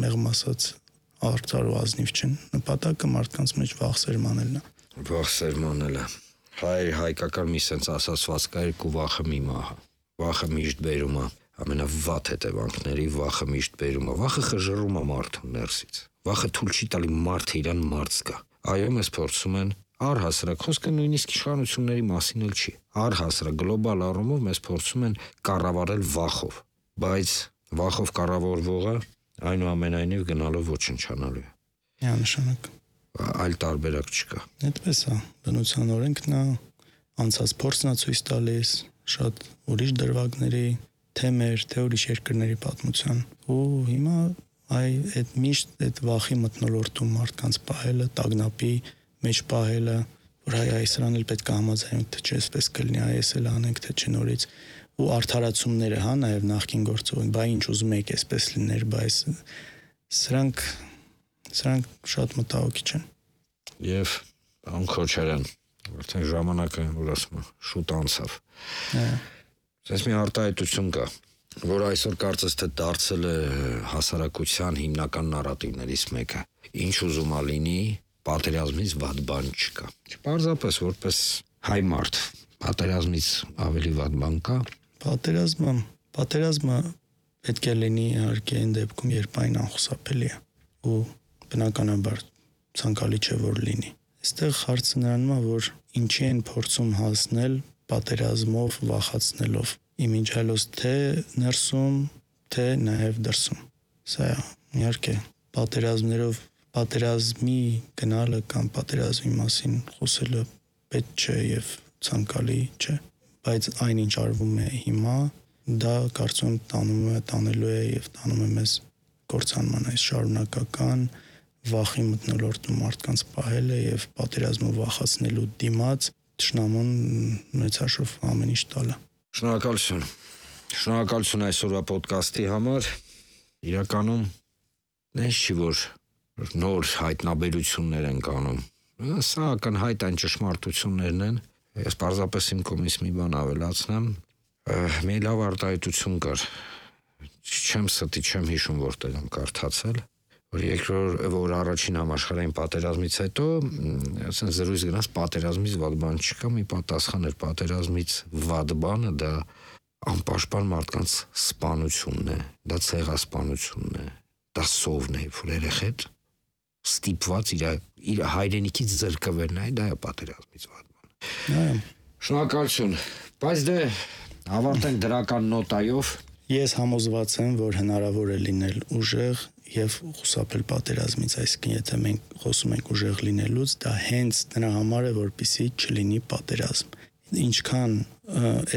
մեղմ ասած արդար ու ազնիվ չեն։ Նպատակը մարդկանց մեջ վախ սերմանելն է։ Վախ սերմանելը։ Հայ հայկական մի sense ասացված կա երկու վախը մի մահը։ Վախը միշտ բերում է ամենավատ հետևանքների, վախը միշտ բերում է։ Վախը խժռում է մարդուն ներսից։ Վախը թույլ չի տալի մարդը իրան մարդ զգա։ Այո, մեզ փորձում են առհասարակ, խոսքը նույնիսկ իշխանությունների մասին էլ չի։ Առհասարակ գլոբալ առումով մեզ փորձում են կառավարել վախով, բայց վախով կառավարվողը այնուամենայնիվ գնալով ոչնչանալու է։ Միանշանակ։ Այլ տարբերակ չկա։ Այդպես է, բնության օրենքն է, անցած փորձն է ցույց տալիս, շատ ուրիշ դրվագների, թե մեր, թե ուրիշ երկրների պատմության։ Ու հիմա այ այդ միշտ այդ վախի մթնոլորտում մարդկանց պահելը, տագնապի մեջ պահելը, որ հայ այս սրան էլ պետք է համաձայնենք, թե չէ, այսպես կլինի, այս էլ անենք, թե չէ նորից ու արդարացումները, հա, նաև նախքին գործողին, բա ինչ ուզում եք այսպես լիներ, բայց սրանք սրանք շատ մտահոգիչ են։ Եվ ան Քոչարյան, արդեն ժամանակը, որ ասում եմ, շուտ անցավ։ Այս մի արտահայտություն կա, որ այսօր կարծես թե դարձել է հասարակության հիմնական նարատիվներից մեկը։ Ինչ ուզում ա լինի, պատերազմից վատ բան չկա։ Պարզապես որպես հայ մարդ, պատերազմից ավելի վատ բան կա։ Պատերազմը, պատերազմը պետք է լինի իհարկե այն դեպքում, երբ այն անխուսափելի է ու բնականաբար ցանկալի չէ որ լինի։ Այստեղ հարցը նրանում է, որ ինչի են փորձում հասնել պատերազմով, վախացնելով իմիջիալոց թե ներսում, թե նաև դրսում։ Սա իհարկե պատերազմներով պատերազմի գնալը կամ պատերազմի մասին խոսելը պետք չէ եւ ցանկալի չէ, բայց այնինչ արվում է հիմա, դա կարծում եմ տանում է, տանելու է եւ տանում է մեզ կործանման այս շարունակական վախի մթնոլորտում մարդկանց պահելը եւ պատերազմով վախացնելու դիմաց ճշնամուն մեծ հաշվով ամեն ինչ տալը։ Շնորհակալություն։ Շնորհակալություն այսօրվա ոդկասթի համար։ Իրականում նես չի որ նոր հայտնաբերություններ են կանում։ Սա ակնհայտ այն ճշմարտություններն են, Ես պարզապես իմ կողմից մի բան ավելացնեմ, մի լավ արտահայտություն կար, չեմ ստի, չեմ հիշում որտեղ եմ կարդացել, որ երկրորդ, որ առաջին համաշխարհային պատերազմից հետո, ասեն զրույց գնաց պատերազմից վատ բան չկա, մի պատասխան էր պատերազմից վատ բանը դա անպաշտպան մարդկանց սպանությունն է, դա ցեղասպանությունն է, դա սովն է, որ երեխեդ ստիպված իր իր հայրենիքից զրկվելն է, դա է պատերազմից վատ բան։ Այո։ Շնորհակալություն։ Բայց դե ավարտենք դրական նոտայով։ Ես համոզված եմ, որ հնարավոր է լինել ուժեղ եւ խուսափել պատերազմից, այսինքն եթե մենք խոսում ենք ուժեղ լինելուց, դա հենց նրա համար է, որպեսզի չլինի պատերազմ։ Ինչքան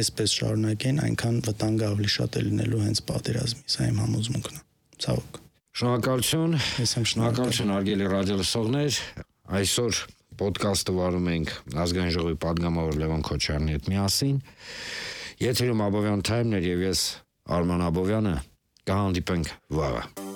այսպես շարունակեն, այնքան վտանգը ավելի շատ է լինելու հենց պատերազմի, սա իմ համոզմունքն է։ Ցավոք։ Շնորհակալություն։ Ես եմ Շնորհակալություն հարգելի ռադիոլսողներ։ Այսօր ոդկասթը վարում ենք ազգային ժողովի падգամավոր Լևոն Քոչարյանի հետ միասին։ Եթերում Աբովյան Թայմն էր եւ ես Արման Աբովյանը, կհանդիպենք վաղը։